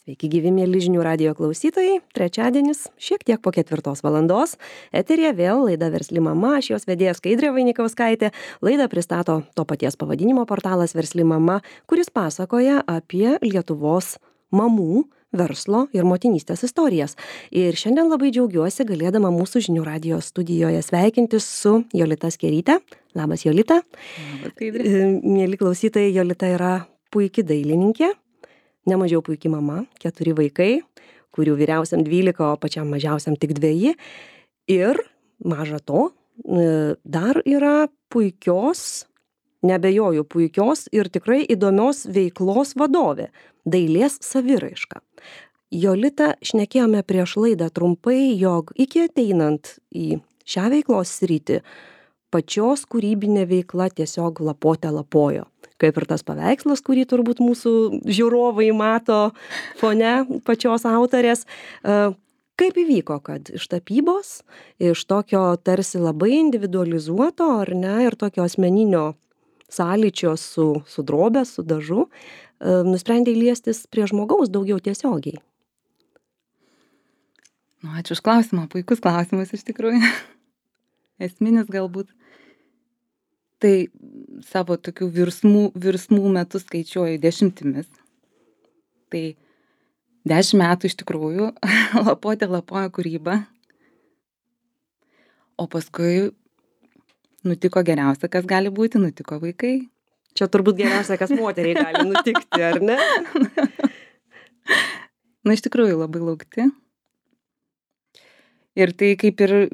Sveiki gyvi mėly žinių radijo klausytojai. Trečiadienis, šiek tiek po 4 valandos. Eterija vėl laida Versli mama, aš jos vedėja Skaidrė Vainikauskaitė. Laidą pristato to paties pavadinimo portalas Versli mama, kuris pasakoja apie Lietuvos mamų, verslo ir motinystės istorijas. Ir šiandien labai džiaugiuosi galėdama mūsų žinių radijo studijoje sveikintis su Jolita Skeryte. Labas, Jolita. Labas, Skaidrė. Mėly klausytojai, Jolita yra puiki dailininkė. Nemažiau puikiai mama, 4 vaikai, kurių vyriausiam 12, o pačiam mažiausiam tik 2. Ir maža to, dar yra puikios, nebejoju puikios ir tikrai įdomios veiklos vadovė - dailės saviraiška. Jolita, šnekėjome prieš laidą trumpai, jog iki ateinant į šią veiklos sritį, pačios kūrybinė veikla tiesiog lapote lapojo. Kaip ir tas paveikslas, kurį turbūt mūsų žiūrovai mato fone pačios autorės. Kaip įvyko, kad iš tapybos, iš tokio tarsi labai individualizuoto, ar ne, ir tokio asmeninio sąlyčio su drobė, su dažu, nusprendė liestis prie žmogaus daugiau tiesiogiai? Ačiū už klausimą, puikus klausimas iš tikrųjų. Esminis galbūt. Tai savo tokių virsmų metus skaičiuoju 10. Tai 10 metų iš tikrųjų lapojo kūryba. O paskui nutiko geriausia, kas gali būti, nutiko vaikai. Čia turbūt geriausia, kas moteriai gali nutikti, ar ne? Iš tikrųjų labai laukti. Ir tai kaip ir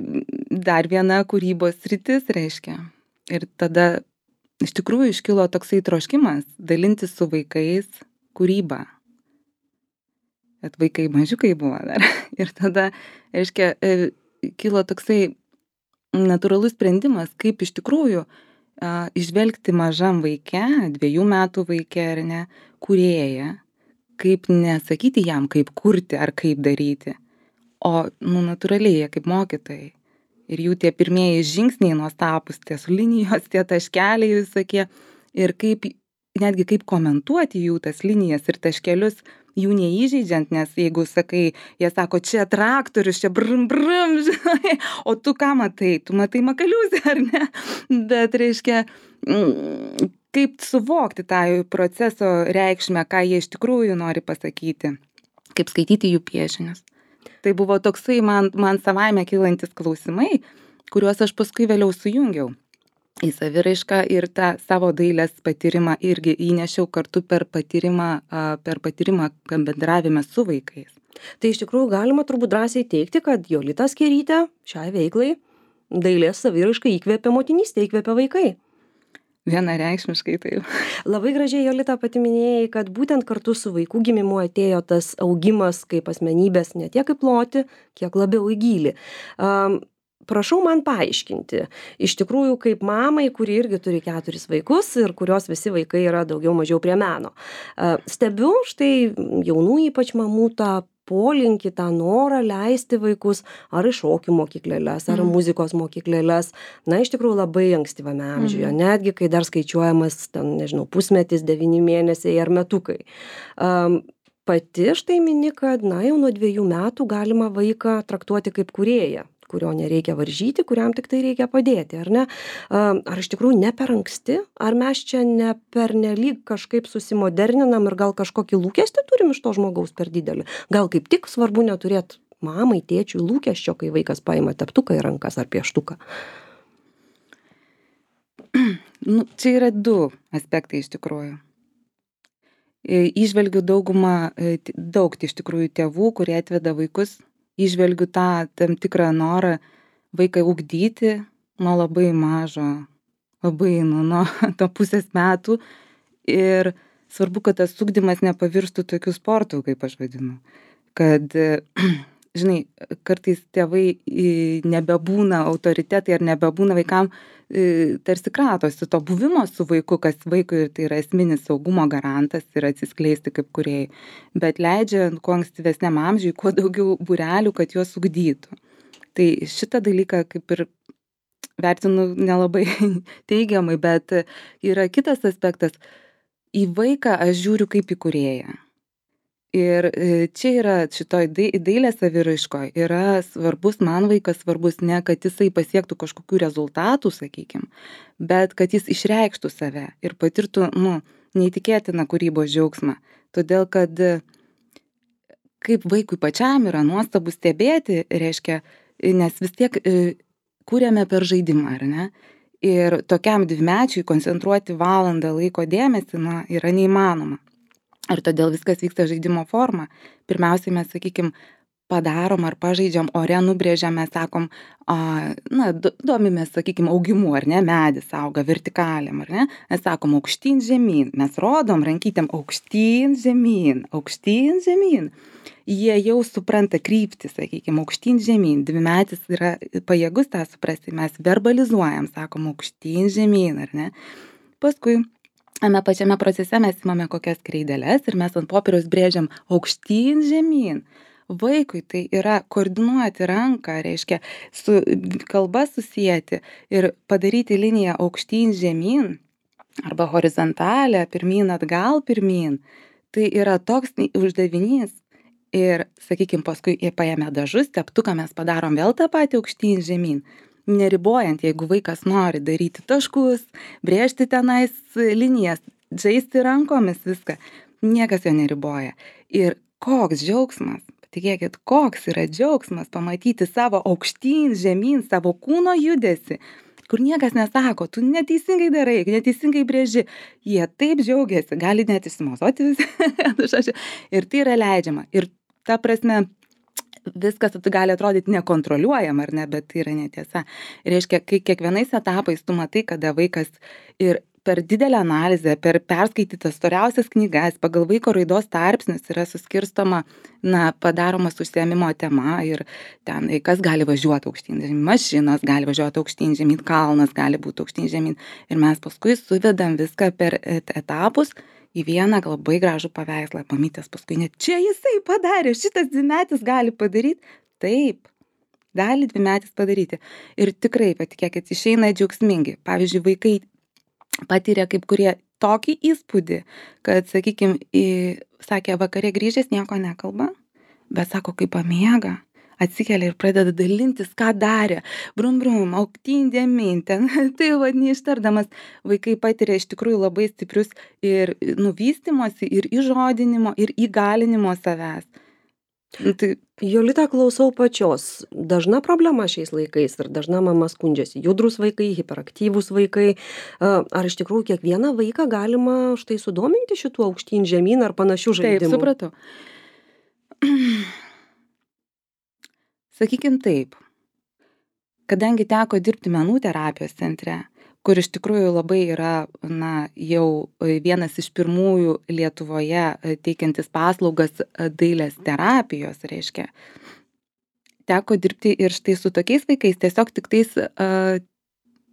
dar viena kūrybos sritis reiškia. Ir tada iš tikrųjų iškilo toksai troškimas dalintis su vaikais kūrybą. Bet vaikai mažiukai buvo dar. Ir tada, reiškia, kilo toksai natūralus sprendimas, kaip iš tikrųjų išvelgti mažam vaike, 2 metų vaike ar ne, kūrėją, kaip nesakyti jam, kaip kurti ar kaip daryti, o natūraliai jie kaip mokytojai. Ir jų tie pirmieji žingsniai nuostabūs, tie linijos, tie taškeliai visokie. Ir netgi kaip komentuoti jų tas linijas ir taškelius, jų neįžeidžiant, nes jeigu sakai, jie sako, čia traktorius, čia brum, žinai, o tu ką matai? Tu matai makaliuzę, ar ne? Bet reiškia, kaip suvokti tą proceso reikšmę, ką jie iš tikrųjų nori pasakyti, kaip skaityti jų piešinius. Tai buvo toksai man savaime kylantis klausimai, kuriuos aš paskui vėliau sujungiau į saviraišką ir tą savo dailės patyrimą irgi įnešiau kartu per patyrimą bendravime su vaikais. Tai iš tikrųjų galima turbūt drąsiai teigti, kad Jolita Skerytė šiai veiklai dailės saviraišką įkvėpė motinystė, įkvėpė vaikai. Vienareikšmiškai taip. Labai gražiai, Jolita, pati minėjai, kad būtent kartu su vaikų gimimu atėjo tas augimas kaip asmenybės ne tiek kaip ploti, kiek labiau į gylį. Prašau man paaiškinti, iš tikrųjų kaip mamai, kuri irgi turi 4 vaikus ir kurios visi vaikai yra daugiau mažiau prie meno. Stebiu štai jaunų ypač mamų tą polinkį, tą norą leisti vaikus ar į šokių mokyklėles, ar muzikos mokyklėles, iš tikrųjų labai ankstyvame amžiuje, netgi kai dar skaičiuojamas, pusmetis, 9 mėnesiai ar metukai. Pati štai mini, kad, jau nuo 2 metų galima vaiką traktuoti kaip kūrėją, kurio nereikia varžyti, kuriam tik tai reikia padėti, ar ne? Ar iš tikrųjų ne per anksti? Ar mes čia ne per nelyg kažkaip susimoderninam ir gal kažkokį lūkestį turim iš to žmogaus per didelį? Gal kaip tik svarbu neturėti mamai, tėčiui lūkesčio, kai vaikas paima teptuką į rankas ar pieštuką? Čia yra 2 aspektai iš tikrųjų. Įžvelgiu daug iš tikrųjų tėvų, kurie atveda vaikus. Įžvelgiu tą tam tikrą norą vaiką ugdyti nuo labai mažo, labai nuo to pusės metų. Ir svarbu, kad tas ugdymas nepavirstų tokių sportų, kaip aš vadinu. Kad, žinai, kartais tėvai nebebūna autoritetai ar nebebūna vaikam, tarsi kratosi to buvimo su vaiku, kas vaikui tai yra esminis saugumo garantas ir atsiskleisti kaip kūrėjai, bet leidžia kuo ankstyvesniam amžiui, kuo daugiau būrelių, kad juos ugdytų. Tai šitą dalyką kaip ir vertinu nelabai teigiamai, bet yra kitas aspektas. Į vaiką aš žiūriu kaip į kūrėją. Ir čia yra šitoj dailės saviraiškoj yra svarbus, man vaikas svarbus ne, kad jisai pasiektų kažkokių rezultatų, sakykim, bet kad jis išreikštų save ir patirtų, neįtikėtiną kūrybos džiaugsmą. Todėl, kad kaip vaikui pačiam yra nuostabu stebėti, reiškia, nes vis tiek kūrėme per žaidimą, ar ne? Ir tokiam dvimečiui koncentruoti valandą laiko dėmesį, yra neįmanoma. Ir todėl viskas vyksta žaidimo forma. Pirmiausiai mes, sakykim, padarom ar pažaidžiam, ore nubrėžiam, mes sakom, domimės, sakykim, augimu, ar ne, medis auga vertikaliam, ar ne, mes sakom aukštyn žemyn, mes rodom rankytėm aukštyn žemyn, aukštyn žemyn. Jie jau supranta kryptį, sakykim, aukštyn žemyn, dvimetis yra pajėgus tą suprasti, mes verbalizuojam, sakom aukštyn žemyn, ar ne. Paskui tame pačiame procese mes imame kokias kreideles ir mes ant popieriaus brėžiam aukštyn žemyn. Vaikui tai yra koordinuoti ranką, reiškia su kalba susijęti ir padaryti liniją aukštyn žemyn arba horizontalę, pirmyn atgal pirmyn. Tai yra toks uždavinys. Ir, sakykim, paskui paėmę dažus, teptuką mes padarom vėl tą patį aukštyn žemyn. Neribojant, jeigu vaikas nori daryti taškus, brėžti tenais linijas, žaisti rankomis viską, niekas jo neriboja. Ir koks džiaugsmas, patikėkit, koks yra džiaugsmas pamatyti savo aukštyn žemyn, savo kūno judesi, kur niekas nesako, tu neteisingai darai, neteisingai brėži. Jie taip džiaugiasi, gali net išsimozoti visi. Ir tai yra leidžiama. Ir ta prasme, viskas gali atrodyti nekontroliuojama, ar ne, bet tai yra netiesa. Reiškia, kai kiekvienais etapais tu matai, kada vaikas ir per didelę analizę, per perskaitytas storiausias knygas, pagal vaiko raidos tarpsnius yra suskirstoma, padaromas užsiėmimo tema ir ten, kas gali važiuoti aukštyn žemyn, mašinos gali važiuoti aukštyn žemyn, kalnas gali būti aukštyn žemyn. Ir mes paskui suvedam viską per etapus į vieną labai gražų paveikslą. Mamytės paskui net čia jisai padarė, šitas dvimetis gali padaryti. Taip, gali dvimetis padaryti. Ir tikrai, patikėkit, išeina džiaugsmingi. Pavyzdžiui, vaikai patiria kaip kurie tokį įspūdį, kad, sakykim, sakė, vakare grįžęs nieko nekalba, bet sako, kaip pamiega. Atsikelia ir pradeda dalintis, ką darė. Brum, aukštyn žemyn, ten, tai neištardamas, vaikai patiria iš tikrųjų labai stiprius ir vystymosi, ir įžodinimo, ir įgalinimo savęs. Tai... Jolita, klausau pačios. Dažna problema šiais laikais ir dažna mama skundžiasi. Judrus vaikai, hiperaktyvūs vaikai. Ar iš tikrųjų kiekvieną vaiką galima štai sudominti šituo aukštyn žemyn ar panašių žaidimų? Taip, supratau. Sakykim taip, kadangi teko dirbti menų terapijos centre, kur iš tikrųjų labai yra, jau vienas iš pirmųjų Lietuvoje teikiantis paslaugas dailės terapijos, reiškia, teko dirbti ir štai su tokiais vaikais, tiesiog tik tais,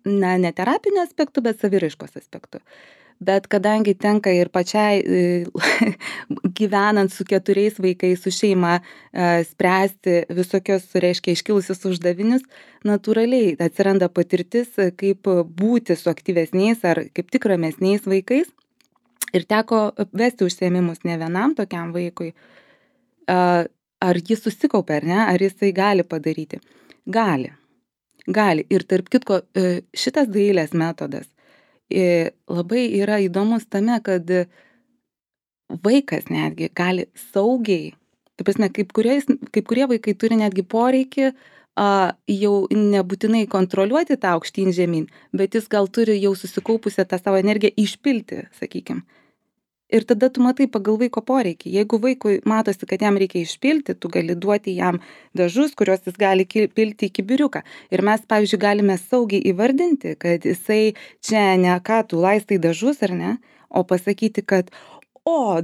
ne terapinio aspektu, bet saviraiškos aspektu. Bet kadangi tenka ir pačiai gyvenant su 4 vaikais, su šeima, spręsti visokios, reiškia, iškilusius uždavinius, natūraliai atsiranda patirtis, kaip būti su aktyvesniais ar kaip tik ramesniais vaikais. Ir teko vesti užsiėmimus ne vienam tokiam vaikui. Ar jis susikaupia, ar ne? Ar jisai gali padaryti? Gali. Ir tarp kitko, šitas dailės metodas labai yra įdomus tame, kad vaikas netgi gali saugiai, tai prasme, kaip kurie vaikai turi netgi poreikį jau nebūtinai kontroliuoti tą aukštyn žemyn, bet jis gal turi jau susikaupusią tą savo energiją išpilti, sakykim. Ir tada tu matai pagal vaiko poreikį. Jeigu vaikui matosi, kad jam reikia išpilti, tu gali duoti jam dažus, kuriuos jis gali pilti į kibiriuką. Ir mes, pavyzdžiui, galime saugiai įvardinti, kad jisai čia ne ką tu laistai dažus, ar ne, o pasakyti, kad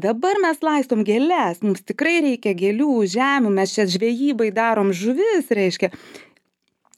dabar mes laistom gėles, mums tikrai reikia gėlių, žemių, mes čia žvejybai darom žuvis, reiškia.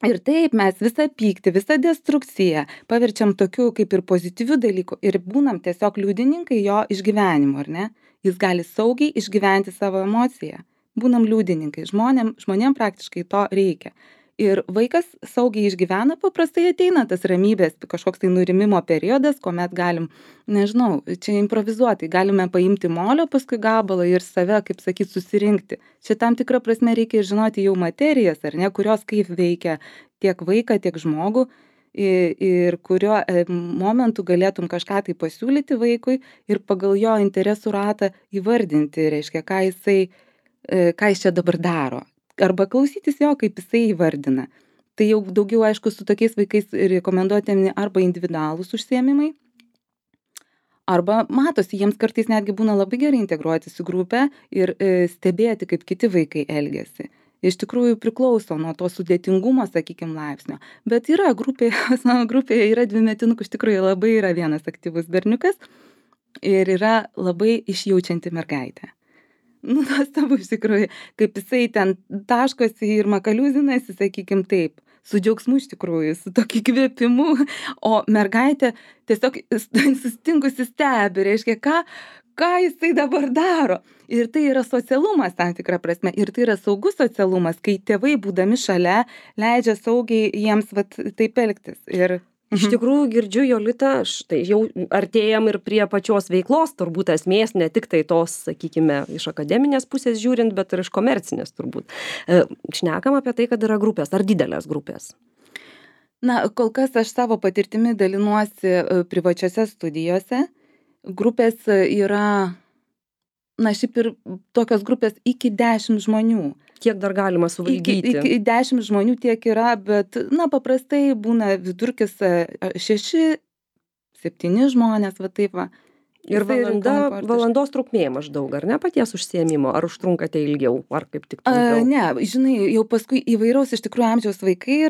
Ir taip mes visą pyktį, visą destrukciją paverčiam tokiu kaip ir pozityviu dalyku ir būnam tiesiog liudininkai jo išgyvenimo, ar ne? Jis gali saugiai išgyventi savo emociją. Būnam liudininkai. Žmonėm praktiškai to reikia. Ir vaikas saugiai išgyvena, paprastai ateina tas ramybės, kažkoks tai nurimimo periodas, kuomet galim, nežinau, čia improvizuotai, galime paimti molio paskui gabalą ir save, kaip sakyt, susirinkti. Čia tam tikrą prasme reikia ir žinoti jau materijas, ar ne, kurios kaip veikia tiek vaiką, tiek žmogų ir kuriuo momentu galėtum kažką tai pasiūlyti vaikui ir pagal jo interesų ratą įvardinti, reiškia, ką jis čia dabar daro. Arba klausytis jo, kaip jisai įvardina. Tai jau daugiau, aišku, su tokiais vaikais rekomenduotini arba individualūs užsiėmimai, arba matosi, jiems kartais netgi būna labai gerai integruotis į grupę ir stebėti, kaip kiti vaikai elgiasi. Iš tikrųjų priklauso nuo to sudėtingumo, sakykime, laipsnio. Bet yra grupėje yra dvimetinukų, iš tikrųjų labai yra vienas aktyvus berniukas ir yra labai išjaučianti mergaitė. Nuostabu iš tikrųjų, kaip jisai ten taškosi ir makaliuzinasi, sakykim taip, su džiaugsmu iš tikrųjų, su tokiu įkvėpimu, o mergaitė tiesiog sustingusi stebi, reiškia, ką jisai dabar daro. Ir tai yra socialumas tam tikra prasme, ir tai yra saugus socialumas, kai tėvai būdami šalia leidžia saugiai jiems taip elgtis. Ir iš tikrųjų girdžiu, Jolita, štai jau artėjam ir prie pačios veiklos, turbūt esmės, ne tik tai tos, sakykime, iš akademinės pusės žiūrint, bet ir iš komercinės turbūt. Šnekam apie tai, kad yra grupės, ar didelės grupės? Na, kol kas aš savo patirtimi dalinuosi privačiose studijose. Grupės yra, šiaip ir tokios grupės iki 10 žmonių. Kiek dar galima suvaldyti? Iki 10 žmonių tiek yra, bet, paprastai būna vidurkis 6-7 žmonės, taip va. Ir valandos trukmė maždaug, ar ne, paties užsiėmimo, ar užtrunkate ilgiau, ar kaip tik trumpiau? Ne, žinai, jau paskui įvairaus iš tikrųjų amžiaus vaikai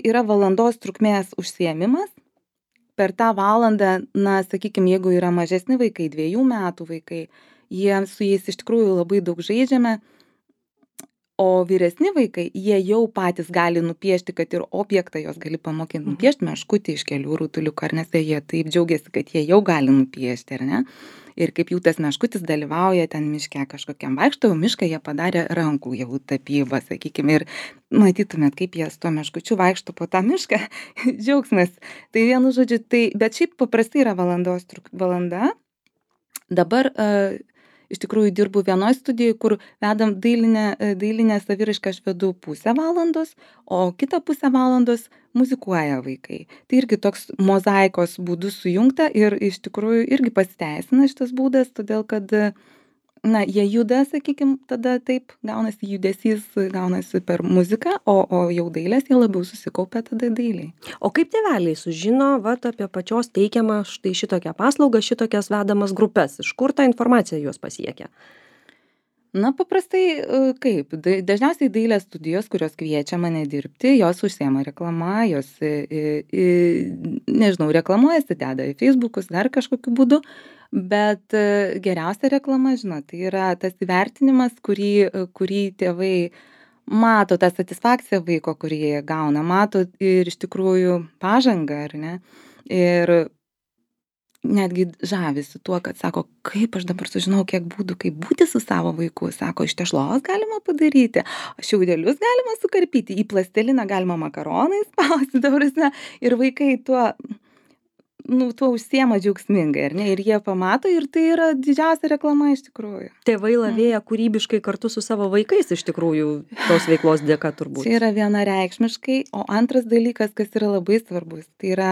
yra valandos trukmės užsiėmimas. Per tą valandą, sakykime, jeigu yra mažesni vaikai, 2 metų vaikai, su jais iš tikrųjų labai daug žaidžiame. O vyresni vaikai, jie jau patys gali nupiešti, kad ir objektą jos gali pamokyti nupiešti, meškutį iš kelių rutuliukų, ar nes jie taip džiaugiasi, kad jie jau gali nupiešti, ar ne? Ir kaip jų tas meškutis dalyvauja ten miške kažkokiam vaikšto, mišką jie padarė rankų jau tapybą, sakykime, ir matytumėt, kaip jie su tuo meškučiu vaikšto po tą mišką, džiaugsmas. Tai vienu žodžiu, bet šiaip paprastai yra valanda. Dabar iš tikrųjų dirbu vienoj studijoj, kur vedam dailinę saviraišką, aš vedu pusę valandos, o kitą pusę valandos muzikuoja vaikai. Tai irgi toks mozaikos būdu sujungta ir iš tikrųjų irgi pasiteisina šitas būdas, todėl kad jie juda, sakykim, tada taip gaunasi judesys, gaunasi per muziką, o jau dailės jie labiau susikaupia tada dailiai. O kaip tėveliai sužino apie pačios teikiamą štai šitokią paslaugą, šitokias vedamas grupes? Iš kur ta informacija juos pasiekia? Paprastai kaip? Dažniausiai dailės studijos, kurios kviečia mane dirbti, jos užsiema reklama, jos, reklamuojasi, deda į Facebookus, dar kažkokiu būdu. Bet geriausia reklama, tai yra tas įvertinimas, kurį tėvai mato, tą satisfakciją vaiko, kurį jie gauna, mato ir iš tikrųjų pažangą, ar ne? Ir netgi žavisi tuo, kad sako, kaip aš dabar sužinau, kiek būdų, kaip būti su savo vaiku. Sako, iš tešlos galima padaryti, šiaudelius galima sukarpyti, į plasteliną galima makaronais spausti, ir vaikai tuo užsiema džiaugsmingai, ar ne? Ir jie pamato, ir tai yra didžiausia reklama iš tikrųjų. Tėvai lavėja kūrybiškai kartu su savo vaikais iš tikrųjų tos veiklos dėka turbūt. Tai yra vienareikšmiškai, o antras dalykas, kas yra labai svarbus, tai yra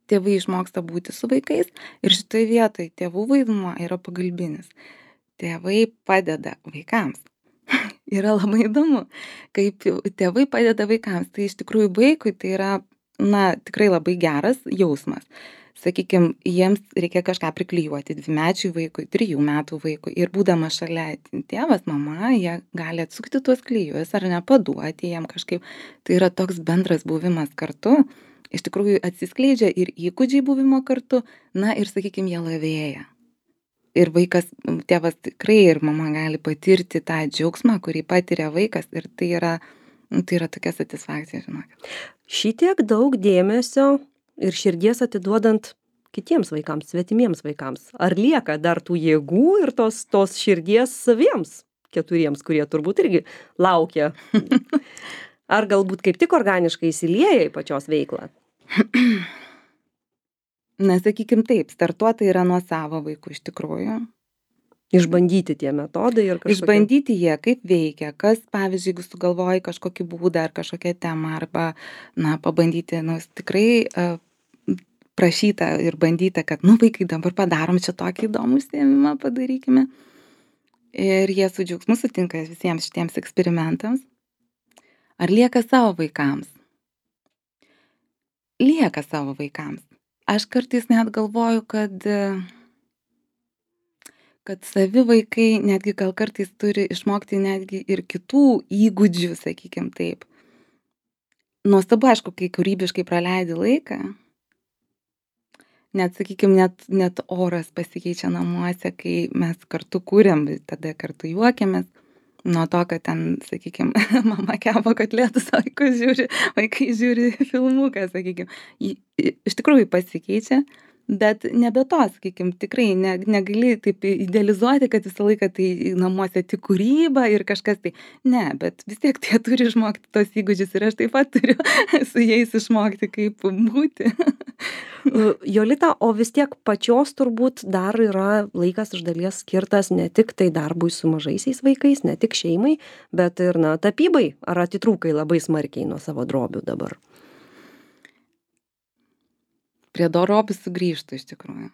tėvai išmoksta būti su vaikais ir šitoje vietoje tėvų vaidmuo yra pagalbinis. Tėvai padeda vaikams. Yra labai įdomu, kaip tėvai padeda vaikams. Tai iš tikrųjų vaikui tai yra tikrai labai geras jausmas. Sakykime, jiems reikia kažką priklijuoti 2-mečiui vaikui, 3 metų vaikui ir būdama šalia tėvas, mama, jie gali atsukti tuos klijus ar nepaduoti jiem kažkaip. Tai yra toks bendras buvimas kartu. Iš tikrųjų atsiskleidžia ir įgūdžiai buvimo kartu, ir, sakykime, jie lavėja. Ir vaikas, tėvas tikrai ir mama gali patirti tą džiaugsmą, kurį patiria vaikas ir tai yra tokia satisfakcija, žinokit. Šitiek daug dėmesio ir širdies atiduodant kitiems vaikams, svetimiems vaikams. Ar lieka dar tų jėgų ir tos širdies saviems 4, kurie turbūt irgi laukia? Ar galbūt kaip tik organiškai įsilieja į pačios veiklą? Na, sakykim taip, startuota yra nuo savo vaikų iš tikrųjų. Išbandyti tie metodai ir kažkokie. Išbandyti jie, kaip veikia, kas, pavyzdžiui, jeigu sugalvoji kažkokį būdą ar kažkokią temą, arba, na, pabandyti, nu, tikrai prašyta ir bandyta, kad, nu, vaikai, dabar padarom čia tokį įdomų užsiėmimą, padarykime. Ir jie su džiaugsmu sutinka visiems šitiems eksperimentams. Ar lieka savo vaikams? Lieka savo vaikams. Aš kartais net galvoju, kad savi vaikai netgi gal kartais turi išmokti netgi ir kitų įgūdžių, sakykim taip. Nuostabu, aišku, kai kūrybiškai praleidi laiką, net, sakykim, net oras pasikeičia namuose, kai mes kartu kūrėm, tada kartu juokiamės. Nuo to, kad ten, sakykim, mama kepa kotletus, vaikai žiūri filmuką, sakykim. Iš tikrųjų pasikeičia, bet nebe to, sakykim, tikrai negali taip idealizuoti, kad visą laiką tai namuose tik kūryba ir kažkas tai. Ne, bet vis tiek jie turi išmokti tos įgūdžius ir aš taip pat turiu su jais išmokti, kaip būti. Jolita, o vis tiek pačios turbūt dar yra laikas iš dalies skirtas ne tik tai darbui su mažaisiais vaikais, ne tik šeimai, bet ir, na, tapybai. Ar atitrūkai labai smarkiai nuo savo drobių dabar? Prie drobių sugrįžtu iš tikrųjų.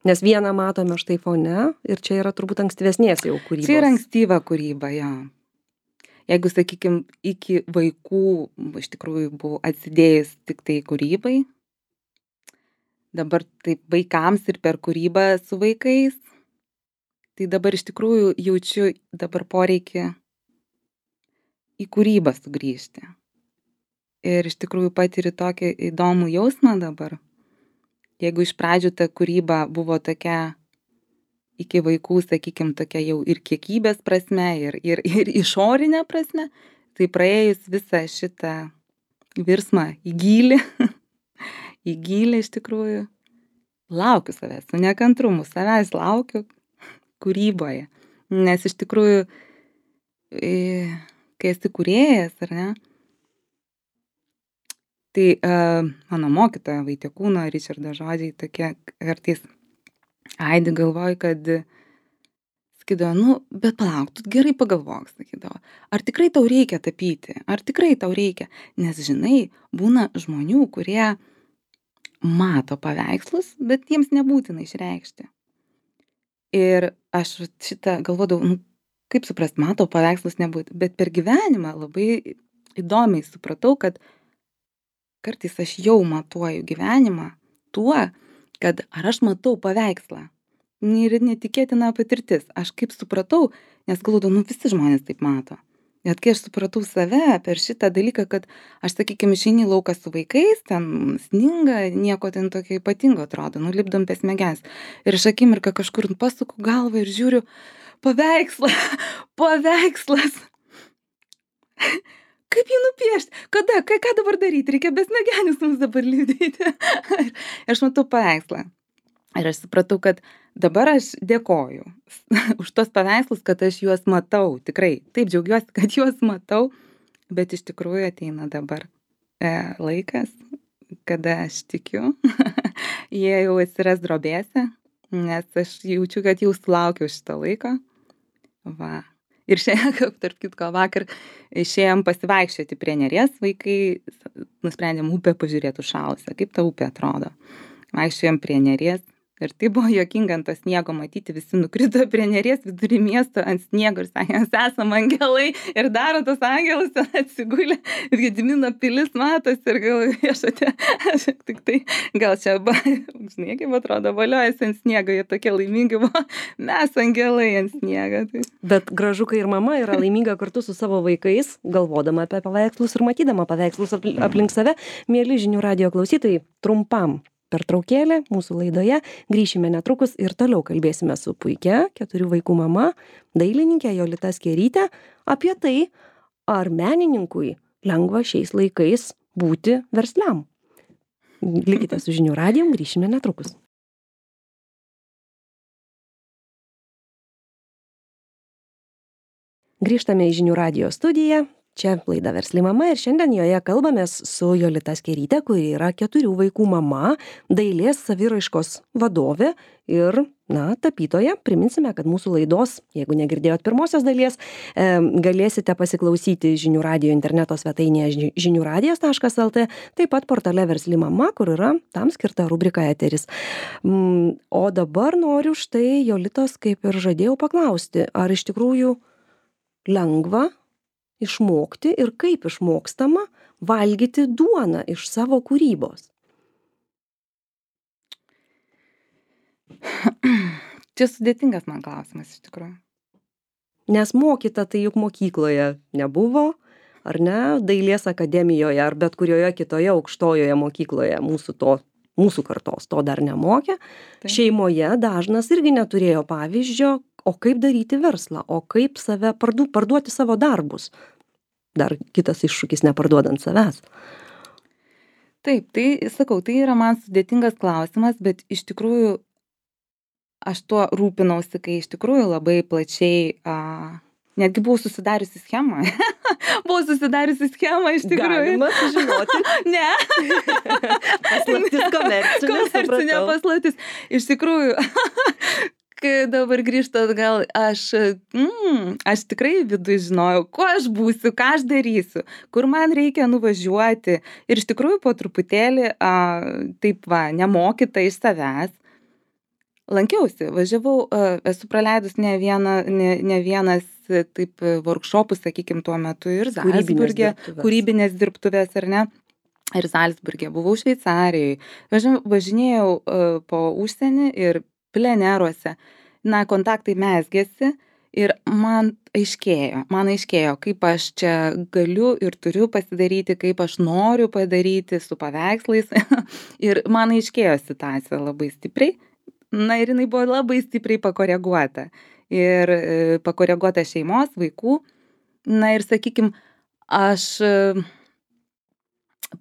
Nes vieną matome štai fone ir čia yra turbūt ankstyvesnės jau kūrybos. Čia yra ankstyva kūryba, jo. Jeigu, sakykim, iki vaikų iš tikrųjų buvau atsidėjus tik tai kūrybai, dabar taip vaikams ir per kūrybą su vaikais, tai dabar iš tikrųjų jaučiu dabar poreikį į kūrybą sugrįžti. Ir iš tikrųjų patiriu tokį įdomų jausmą dabar. Jeigu iš pradžių ta kūryba buvo tokia iki vaikų, sakykim, tokia jau ir kiekybės prasme, ir išorinė prasme, tai praėjus visą šitą virsmą į gylį iš tikrųjų, laukiu savęs, su nekantrumu savęs laukiu kūryboje. Nes iš tikrųjų, kai esi kūrėjas, ar ne, tai mano mokytoja Vaitiekūno Ričardo žodžiai tokie kartais aidi galvoju, kad sakydavo, nu, bet palauk, tu gerai pagalvok, sakydavo, ar tikrai tau reikia tapyti, ar tikrai tau reikia, nes žinai, būna žmonių, kurie mato paveikslus, bet jiems nebūtina išreikšti. Ir aš šitą galvodavau, nu, kaip suprast, matau paveikslus nebūtina, bet per gyvenimą labai įdomiai supratau, kad kartais aš jau matuoju gyvenimą tuo, kad ar aš matau paveikslą. Ir netikėtina patirtis. Aš kaip supratau, nes galvodavau, nu visi žmonės taip mato. Net kai aš supratau save per šitą dalyką, kad aš, sakykime, išeini į lauką su vaikais, ten sninga, nieko ten tokio ypatingo atrodo, nulipdom per smegenis. Ir aš akimirką kažkur pasuku galvą ir žiūriu, paveikslas. Kaip jį nupiešti? Kada? Ką dabar daryti? Reikia besmegenis mums dabar lipdyti. Aš matau paveikslą. Ir aš supratau, kad dabar aš dėkoju už tos paveikslus, kad aš juos matau. Tikrai, taip džiaugiuosi, kad juos matau, bet iš tikrųjų ateina dabar laikas, kada aš tikiu, jie jau atsiras drobėse, nes aš jaučiu, kad jau sulaukiau šito laiko. Va. Ir šiandien, tarp kitko, vakar išėjom pasivaikščioti prie Neries, vaikai nusprendėm upę pažiūrėti užšalusią, kaip ta upė atrodo. Vaikščiojom prie Neries ir tai buvo juokinga ant to sniego matyti, visi nukrito prie Neries vidury miesto ant sniego ir sakė, mes esam angelai ir daro tos angelus ten atsigulę, Gedimino pilis matos ir galvoju, viešote, aš tik tai gal čia, žinai, kaip atrodo, valiojasi ant sniego, jie tokie laimingi buvo, mes angelai ant sniego. Tai. Bet gražu, kai ir mama yra laiminga kartu su savo vaikais, galvodama apie paveikslus ir matydama paveikslus aplink save. Mieli žinių radijo klausytojai, trumpam pertraukėlė mūsų laidoje, grįšime netrukus ir toliau kalbėsime su puikia 4 vaikų mama, dailininkė Jolita Skėrytė apie tai, ar menininkui lengva šiais laikais būti versliam. Likite su žinių radijum, grįšime netrukus. Grįžtame į žinių radijo studiją. Čia laida Versli mama ir šiandien joje kalbamės su Jolita Skeryte, kuri yra 4 vaikų mama, dailės saviraiškos vadovė ir, tapytoja. Priminsime, kad mūsų laidos, jeigu negirdėjot pirmosios dalies, galėsite pasiklausyti Žinių radijo interneto svetainėje žiniųradijas.lt, taip pat portale Versli mama, kur yra tam skirta rubrika Eteris. O dabar noriu štai Jolitos, kaip ir žadėjau, paklausti, ar iš tikrųjų lengva išmokti ir kaip išmokstama valgyti duoną iš savo kūrybos? Čia sudėtingas man klausimas iš tikrųjų. Nes mokyta tai juk mokykloje nebuvo, ar ne, dailės akademijoje ar bet kurioje kitoje aukštojoje mokykloje mūsų kartos to dar nemokė. Taip. Šeimoje dažnas irgi neturėjo pavyzdžio, o kaip daryti verslą, o kaip save parduoti savo darbus. Dar kitas iššūkis neparduodant savęs. Taip, tai sakau, tai yra man sudėtingas klausimas, bet iš tikrųjų aš tuo rūpinausi, kai iš tikrųjų labai plačiai, netgi buvau susidariusi schemą. Iš tikrųjų. Galima sužinoti. Ne. Paslaptis Komercinė paslaptis. Iš tikrųjų, kai dabar grįžtu atgal, aš tikrai viduj žinojau, kuo aš būsiu, ką aš darysiu, kur man reikia nuvažiuoti. Ir iš tikrųjų po truputėlį, nemokyta iš savęs, lankiausi, važiavau, esu praleidus ne vienas taip workshopus, sakykim, tuo metu ir Zalcburge, kūrybinės dirbtuvės, ar ne? Ir Zalcburge, buvau Šveicarijoje, važinėjau po užsienį ir pleneruose, kontaktai mezgėsi ir man aiškėjo, kaip aš čia galiu ir turiu pasidaryti, kaip aš noriu padaryti su paveikslais. Ir man aiškėjo situacija labai stipriai. Ir jinai buvo labai stipriai pakoreguota. Ir pakoreguota šeimos, vaikų. Ir sakykim, aš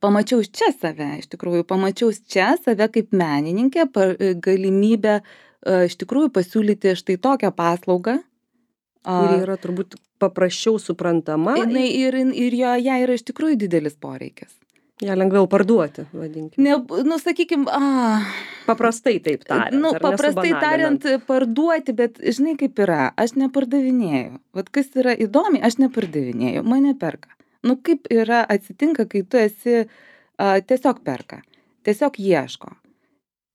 pamačiau čia save, iš tikrųjų, kaip menininkę, galimybę iš tikrųjų pasiūlyti štai tokią paslaugą. Kuri yra turbūt paprasčiau suprantama. Ir joje yra iš tikrųjų didelis poreikis. Ja lengviau parduoti, vadinkime. Sakykim, paprastai taip tariant. Paprastai tariant, parduoti, bet žinai kaip yra, aš nepardavinėju. Vat kas yra įdomi, aš nepardavinėju, mane perka. Kaip yra atsitinka, kai tu esi tiesiog perka, tiesiog ieško.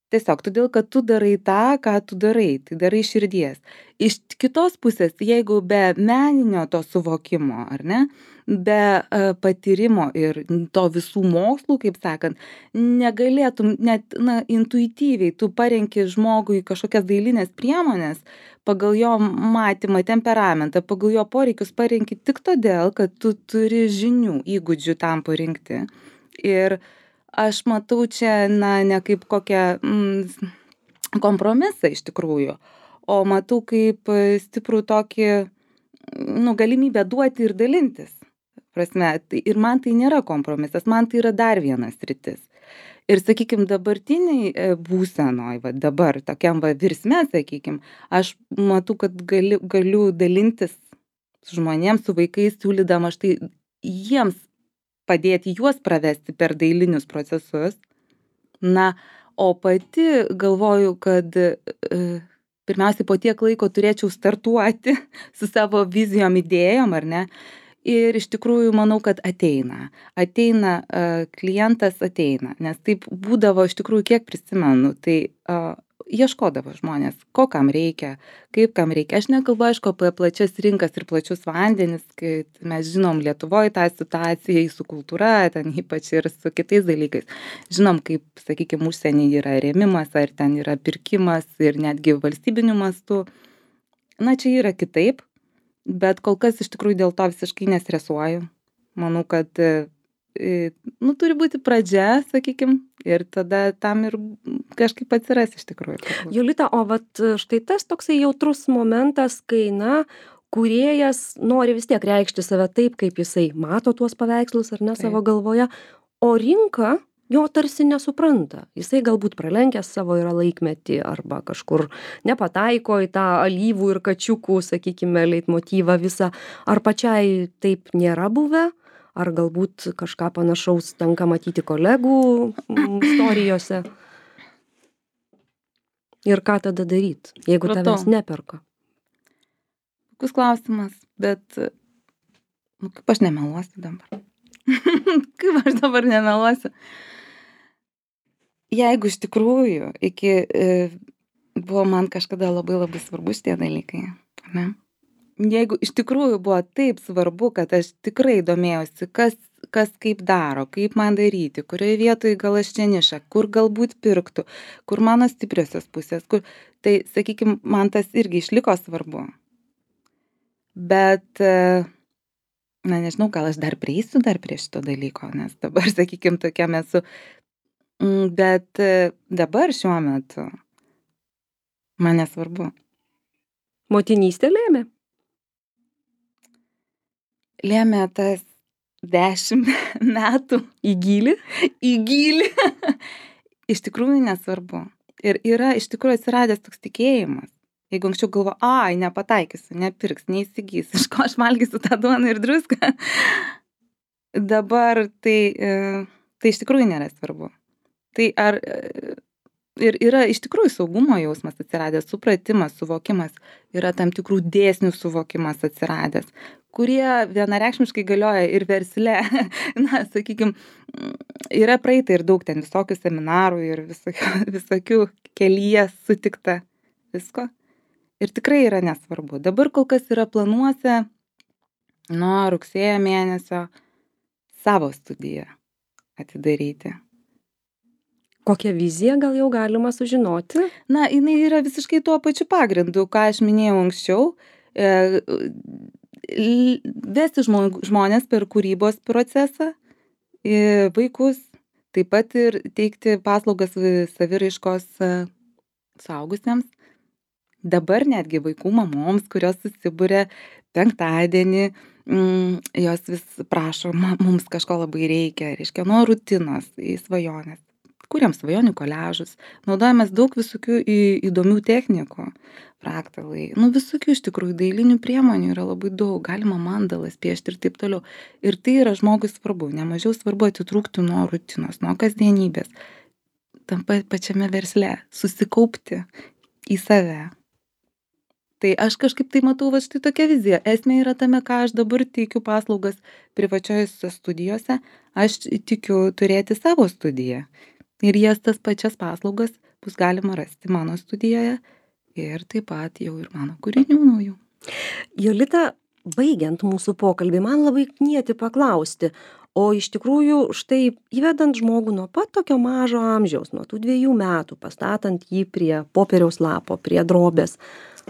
Tiesiog todėl, kad tu darai tą, ką tu darai, tai darai širdies. Iš kitos pusės, jeigu be meninio to suvokimo, ar ne, be patyrimo ir to visų mokslų, kaip sakant, negalėtum net intuityviai, tu parenki žmogui kažkokias dailinės priemonės, pagal jo matymą, temperamentą, pagal jo poreikius parenki tik todėl, kad tu turi žinių, įgūdžių tam parinkti. Ir aš matau čia, ne kaip kokią kompromisą iš tikrųjų, o matau kaip stiprų tokį, galimybę duoti ir dalintis. Prasme, ir man tai nėra kompromisas, man tai yra dar vienas sritis. Ir, sakykim, dabartiniai būsenoj, dabar, tokiam virsme, sakykim, aš matau, kad galiu dalintis su žmonėms, su vaikais, siūlydama štai jiems padėti juos pravesti per dailinius procesus. O pati galvoju, kad pirmiausiai po tiek laiko turėčiau startuoti su savo vizijom, idėjom, ar ne? Ir iš tikrųjų manau, kad ateina, klientas ateina, nes taip būdavo iš tikrųjų, kiek prisimenu, tai ieškodavo žmonės, ko kam reikia, kaip kam reikia. Aš nekalbu, aišku, apie plačias rinkas ir plačius vandenis, kai mes žinom Lietuvoje tą situaciją su kultūra, ten ypač ir su kitais dalykais. Žinom, kaip, sakykime, užsienį yra rėmimas, ar ten yra pirkimas ir netgi valstybiniu mastu. Čia yra kitaip, bet kol kas iš tikrųjų dėl to visiškai nestresuoju. Manau, kad turi būti pradžia, sakykim, ir tada tam ir kažkaip atsiras iš tikrųjų. Jolita, o štai tas toksai jautrus momentas, kai, kūrėjas nori vis tiek reikšti save taip, kaip jisai mato tuos paveikslus ar ne savo galvoje, o rinka jo tarsi nesupranta. Jisai galbūt pralenkęs savo yra laikmetį arba kažkur nepataiko į tą alyvų ir kačiukų, sakykime, leitmotyvą visą. Ar pačiai taip nėra buvę? Ar galbūt kažką panašaus tenka matyti kolegų istorijose? Ir ką tada daryt, jeigu tavęs neperka? Puikus klausimas, bet kaip aš nemeluosiu dabar? Kaip aš dabar nemeluosiu? Jeigu iš tikrųjų buvo man kažkada labai labai svarbu šitie dalykai, ne? Jeigu iš tikrųjų buvo taip svarbu, kad aš tikrai domėjausi, kas kaip daro, kaip man daryti, kurioje vietoje gal aš čia nišą, kur galbūt pirktų, kur mano stipriosios pusės, tai, sakykime, man tas irgi išliko svarbu. Bet, na nežinau, gal aš dar prieisiu prie šito dalyko, nes dabar, sakykime, tokiam esu. Bet dabar šiuo metu man nesvarbu. Motinystė lėmė? Lėmė tas 10 metų. Į gylį? Į gylį. Iš tikrųjų nesvarbu. Ir yra iš tikrųjų atsiradęs toks tikėjimas. Jeigu anksčiau galvo, nepataikysiu, nepirks, neįsigys, iš ko aš valgysiu tą duoną ir druską. Dabar tai iš tikrųjų nėra svarbu. Tai ir yra iš tikrųjų saugumo jausmas atsiradęs, supratimas, suvokimas, yra tam tikrų dėsnių suvokimas atsiradęs, kurie vienareikšmiškai galioja ir versle. Na, sakykime, yra praeita ir daug ten visokių seminarų ir visokių kelyje sutikta visko. Ir tikrai yra nesvarbu. Dabar kol kas yra planuose nuo rugsėjo mėnesio savo studiją atidaryti. Kokią viziją gal jau galima sužinoti? Na, jinai yra visiškai tuo pačiu pagrindu, ką aš minėjau anksčiau. Vesti žmonės per kūrybos procesą, vaikus, taip pat ir teikti paslaugas saviraiškos suaugusiems. Dabar netgi vaikų mamoms, kurios susibūrė penktadienį, jos vis prašo, mums kažko labai reikia, nuo rutinos į svajonės. Kuriam svajonių koliažus, naudojamės daug visokių įdomių technikų, fraktalai, visokių iš tikrųjų dailinių priemonių yra labai daug, galima mandalas piešti ir taip toliau. Ir tai yra žmogui svarbu, nemažiau svarbu atitrūkti nuo rutinos, nuo kasdienybės, tam pačiame versle, susikaupti į save. Tai aš kažkaip tai matau štai tokia vizija. Esmė yra tame, ką aš dabar teikiu paslaugas privačiose studijose, aš tikiu turėti savo studiją. Ir jas tas pačias paslaugas bus galima rasti mano studijoje ir taip pat jau ir mano kūrinių naujų. Jolita, baigiant mūsų pokalbį, man labai knieti paklausti, o iš tikrųjų štai įvedant žmogų nuo pat tokio mažo amžiaus, nuo tų 2 metų, pastatant jį prie popieriaus lapo, prie drobės,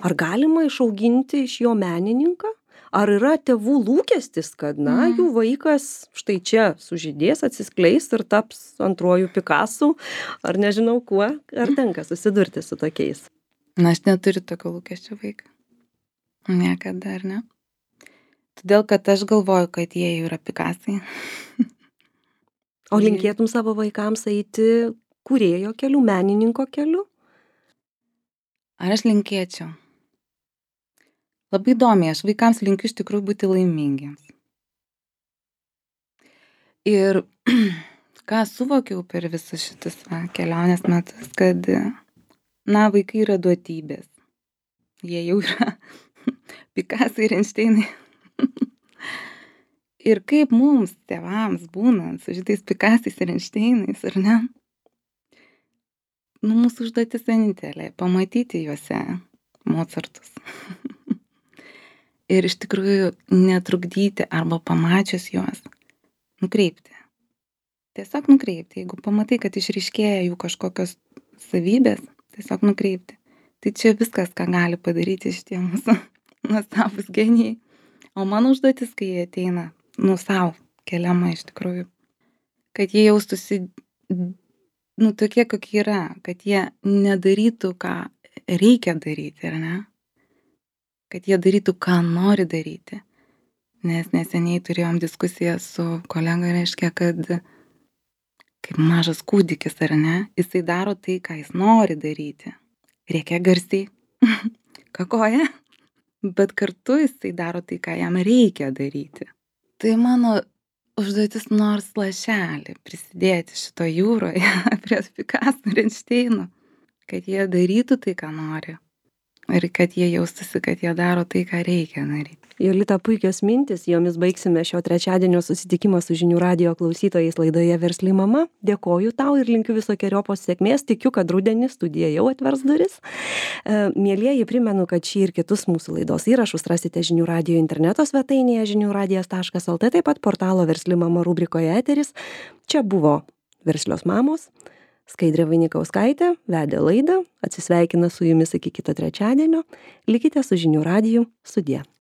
ar galima išauginti iš jo menininką? Ar yra tėvų lūkestis, kad, jų vaikas štai čia sužydės, atsiskleis ir taps antruoju Picasso, ar nežinau kuo, ar tenka susidurti su tokiais? Na, aš neturiu tokio lūkesčio vaiką. Niekada, ar ne? Todėl, kad aš galvoju, kad jie jau yra Picassai. O linkėtum savo vaikams eiti kūrėjo keliu, menininko keliu? Ar aš linkėčiau? Labai įdomiai, aš vaikams linkiu iš tikrųjų būti laimingiems. Ir ką suvokiau per visus šitus kelionės metus, kad, vaikai yra duotybės. Jie jau yra Picasso ir Einšteinai. Ir kaip mums, tėvams, būnant su šitais Picassais ir Einšteinais, ar ne? Mūsų užduotis vienintelė, pamatyti juose Mozartus. Ir iš tikrųjų netrukdyti arba pamačius juos, nukreipti. Tiesiog nukreipti. Jeigu pamatai, kad išryškėja jų kažkokios savybės, tiesiog nukreipti. Tai čia viskas, ką gali padaryti šitie mūsų nuostabūs genijai. O mano užduotis, kai jie ateina, savo keliama iš tikrųjų, kad jie jaustųsi, tokie, kokie yra, kad jie nedarytų, ką reikia daryti, ar ne? Kad jie darytų, ką nori daryti. Nes neseniai turėjom diskusiją su kolega, reiškia, kad kaip mažas kūdikis, ar ne? Jisai daro tai, ką jis nori daryti. Reikia garsiai kakoja, bet kartu jisai daro tai, ką jam reikia daryti. Tai mano užduotis nors lašelį prisidėti šito jūroje prie Picasso ir Einšteino, kad jie darytų tai, ką nori. Ir kad jie jaustųsi, kad jie daro tai, ką reikia daryti. Jolita, puikios mintis, jomis baigsime šio trečiadienio susitikimą su žinių radijo klausytojais laidoje Versli mama. Dėkoju tau ir linkiu visokeriopos sėkmės, tikiu, kad rudenį studija jau atvers duris. Mielieji, primenu, kad šį ir kitus mūsų laidos įrašus rasite žinių radijo interneto svetainėje žiniųradijas.lt, taip pat portalo Versli mama rubrikoje Eteris. Čia buvo Verslios mamos. Skaidrė Vainikauskaitė vedė laidą, atsisveikina su jumis iki kito trečiadienio. Likite su žinių radiju, sudie.